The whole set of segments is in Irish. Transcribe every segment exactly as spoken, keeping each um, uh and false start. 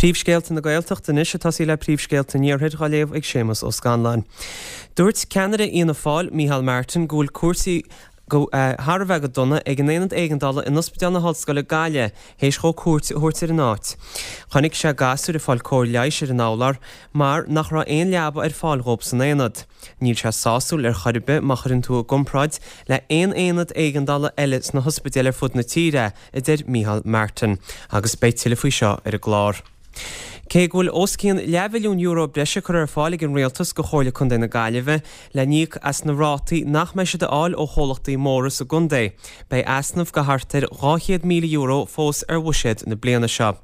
Príomhscéalta na Gaeltachta anois ag tosaí le príomhscéalta an Iarthair á léamh ag Séamus Ó Scanláin. Dúirt ceannaire Fhianna Fáil, Micheál Martin, go bhfuil cúrsaí go thar a bheith go dona ag an aonad éigeandála in Ospidéal na hOllscoile Gaillimh théis dhó cuairt a thabhairt ar an áit. Chonaic sé gasúir ag fáil cóir leighis ar an urlár mar nach raibh aon leaba ar fáil dhóibh san aonad. Níl sé sásúil ar chor ar bith má chuireann tú i gcomparáid le haon aonad éigeandála eile sna hospidéil ar fud na tíre, a deir Micheál Martin. Agus beidh tuilleadh faoi seo ar an gclár. Cé go bhfuil os cionn leathmhilliún euro breise curtha ar fáil ag an Rialtas go Chomhairle Contae na Gaillimhe le n-íoc as na rátaí nach mbeidh siad a fháil ó chomhlachtaí móra sa gcontae, beidh easnamh go thart ar dhá chéad míle euro fós ar bhuiséad na bliana seo.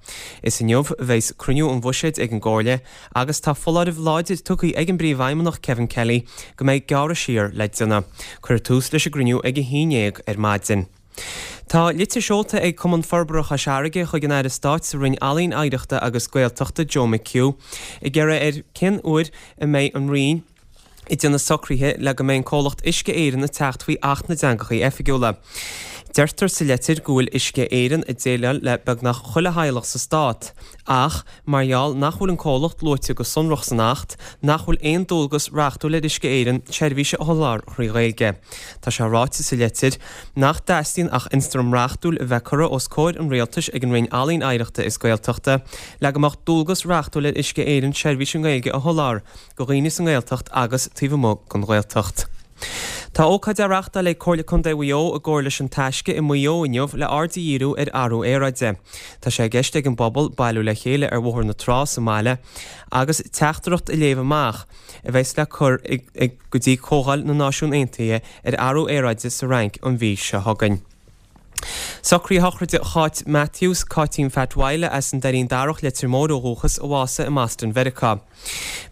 Is inniu a bheas cruinniú an bhuiséid ag an gComhairle agus tá foláireamh láidir tugtha ag an bPríomhfheidhmeannach Kevin Kelly go mbeidh gearradh siar le déanamh. Cuirfear tús leis an gcruinniú ag a haon déag ar maidin. Tá litir seolta ag Cumann Forbartha Chois Fharraige chuig an Aire Stáit sa Roinn Ealaíon, Oidhreachta agus Gaeltachta, Joe McHugh, ag iarraidh air cén uair a mbeidh an Roinn ag déanamh socruithe le go mbeidh an comhlacht Uisce Éireann ag teacht faoi Acht na dTeangacha Oifigiúla. Deirtear sa litir go bhfuil Uisce Éireann ag déileáil le beagnach chuile theaghlach sa stát, ach mar gheall nach bhfuil an comhlacht luaite go sonrach san Acht, nach bhfuil aon dualgas reachtúil ar Uisce Éireann seirbhís a sholáthar thrí Ghaeilge. Tá sé ráite sa litir nach dteastaíonn ach ionstraim reachtúil a bheith curtha os comhair an Rialtais ag an Roinn Ealaíon, Oidhreachta is Gaeltachta le go mbeadh dualgas reachtúil ar Uisce Éireann seirbhís i nGaeilge a sholáthar go dhaoine sa nGaeltacht agus taobh amuigh den Ghaeltacht. Tá ócáid á reáchtáil ag Comhairle Contae Mhaigh Eo i gcomhar leis An Taisce i Maigh Eo inniu le aird a dhíriú ar athrú aeráide. Tá sé i gceist ag an bpobal bailiú le chéile ar Bhóthar na Trá sa mbaile agus teachtaireacht a léamh amach a bheas le cur go dtí Comhdháil na Náisiún Aontaithe ar athrú aeráide sa Fhrainc an mhí seo chugainn. Socruithe shochraide Cháit Matthews, Cáitín Phat Mhaidhle as an Doirín Darach, Leitir Móir ó dhúchas, a bhásaigh i mBoston Mheiriceá.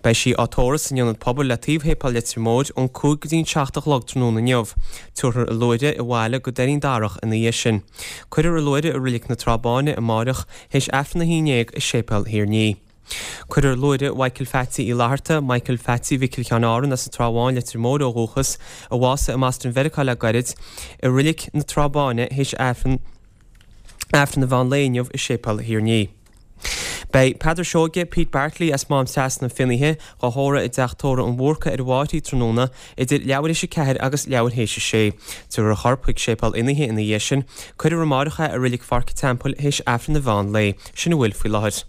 Beidh sí á tórramh san Ionad Pobail le taobh Shéipéal Leitir Móir ón cúig go dtí an seacht a chlog tráthnóna inniu. Tabharfar a luaithre abhaile go Doirín Darach ina dhiaidh sin. Cuirfear a luaithre i Reilig na Trá Báine amáireach théis Aifreann a haon déag i Séipéal Thír Ní. Cuirfear luaithre Mhichael Phatsy Uí Fhlatharta, Michael Phatsy Mhicil Sheáin Árann as an Trá Bháin, Leitir Móir ó dhúchas, a bhásaigh i mBoston Mheiriceá le gairid, i Reilig na Trá Báine théis Aifreann Aifreann an mheán lae inniu i Séipéal Thír Ní. Beidh Peadar Seoige, Pete Bartley as Mám Trasna Finnaithe, dhá thórramh i dTeach Tórraimh an Bhúrca ar an Bhfáithrí tráthnóna idir leathuair théis a ceathair agus leathuair théis a sé. Tabharfar a chorp chuig Séipéal Fhinnaithe ina dhiaidh sin. Cuirfear amáireach é i Reilig Pháirc an Teampaill théis Aifreann an mheán lae. Sin a bhfuil faoi láthair.